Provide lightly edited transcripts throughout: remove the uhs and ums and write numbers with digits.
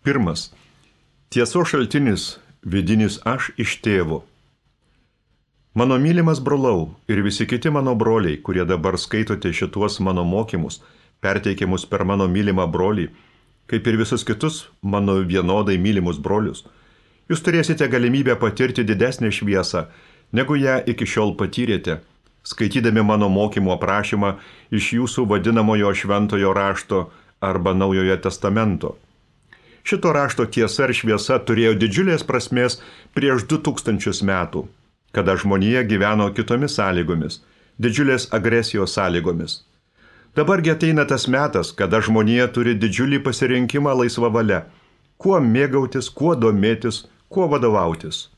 Pirmas. Tiesos šaltinis vidinis aš iš tėvo. Mano mylimas brolau ir visi kiti mano broliai, kurie dabar skaitote šituos mano mokymus, perteikiamus per mano mylimą brolį, kaip ir visus kitus mano vienodai mylimus brolius, jūs turėsite galimybę patirti didesnę šviesą, negu ją iki šiol patyrėte, skaitydami mano mokymo aprašymą iš jūsų vadinamojo šventojo rašto arba naujojo testamento. Šito rašto tiesa ir šviesa turėjo didžiulės prasmės prieš 2000 metų, kada žmonija gyveno kitomis sąlygomis, didžiulės agresijos sąlygomis. Dabargi ateina tas metas, kada žmonija turi didžiulį pasirinkimą laisvą valią, kuo mėgautis, kuo domėtis, kuo vadovautis.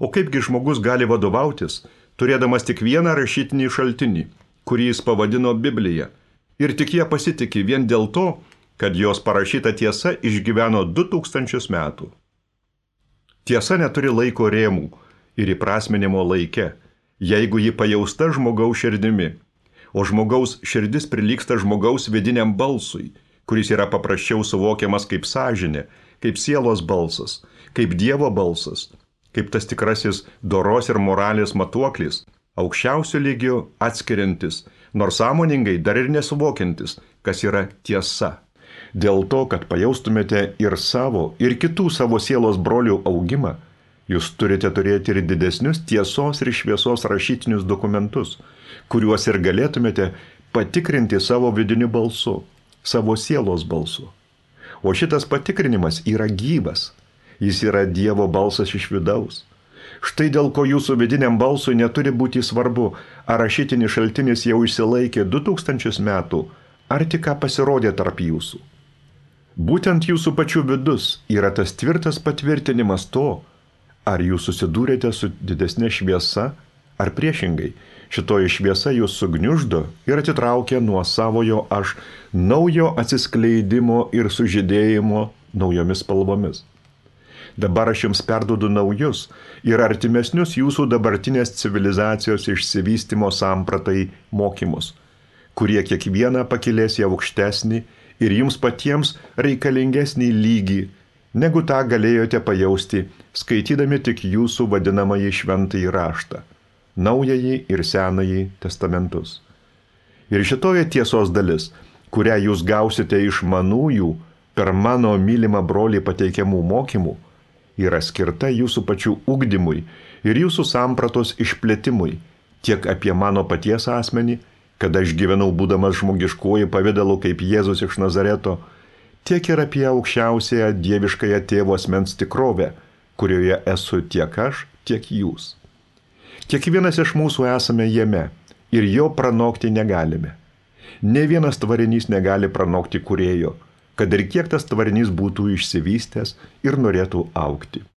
O kaipgi žmogus gali vadovautis, turėdamas tik vieną rašytinį šaltinį, kurį jis pavadino Biblija, ir tik jie pasitiki vien dėl to, kad jos parašyta tiesa išgyveno 2000 metų. Tiesa neturi laiko rėmų ir įprasminimo laike, jeigu ji pajausta žmogaus širdimi, o žmogaus širdis prilygsta žmogaus vidiniam balsui, kuris yra paprasčiau suvokiamas kaip sąžinė, kaip sielos balsas, kaip Dievo balsas, kaip tas tikrasis doros ir moralės matuoklis, aukščiausiu lygiu atskiriantis, nors sąmoningai dar ir nesuvokiantis, kas yra tiesa. Dėl to, kad pajaustumėte ir savo, ir kitų savo sielos brolių augimą, jūs turite turėti ir didesnius tiesos ir šviesos rašytinius dokumentus, kuriuos ir galėtumėte patikrinti savo vidiniu balsu, savo sielos balsu. O šitas patikrinimas yra gyvas, jis yra Dievo balsas iš vidaus. Štai dėl ko jūsų vidiniam balsui neturi būti svarbu, ar rašytinis šaltinis jau išsilaikė 2000 metų, ar tik ką pasirodė tarp jūsų. Būtent jūsų pačių vidus yra tas tvirtas patvirtinimas to, ar jūs susidūrėte su didesnė šviesa, ar priešingai, šitoji šviesa jūs sugniuždo ir atitraukia nuo savojo aš naujo atsiskleidimo ir sužydėjimo naujomis spalvomis. Dabar aš jums perduodu naujus ir artimesnius jūsų dabartinės civilizacijos išsivystymo sampratai mokymus, kurie kiekvieną pakilės į aukštesnį ir jums patiems reikalingesnį lygį, negu tą galėjote pajausti, skaitydami tik jūsų vadinamąjį šventąjį raštą, naująjį ir senąjį testamentus. Ir šitoje tiesos dalis, kurią jūs gausite iš manųjų per mano mylimą brolį pateikiamų mokymų, yra skirta jūsų pačių ugdymui ir jūsų sampratos išplėtimui, tiek apie mano paties asmenį, kad aš gyvenau būdamas žmogiškuoju pavidalu kaip Jėzus iš Nazareto, tiek ir apie aukščiausiąją dieviškąją tėvo asmens tikrovę, kurioje esu tiek aš, tiek jūs. Kiekvienas iš mūsų esame jame ir jo pranokti negalime. Nė vienas tvarinys negali pranokti kūrėjo, kad ir kiek tas tvarinys būtų išsivystęs ir norėtų augti.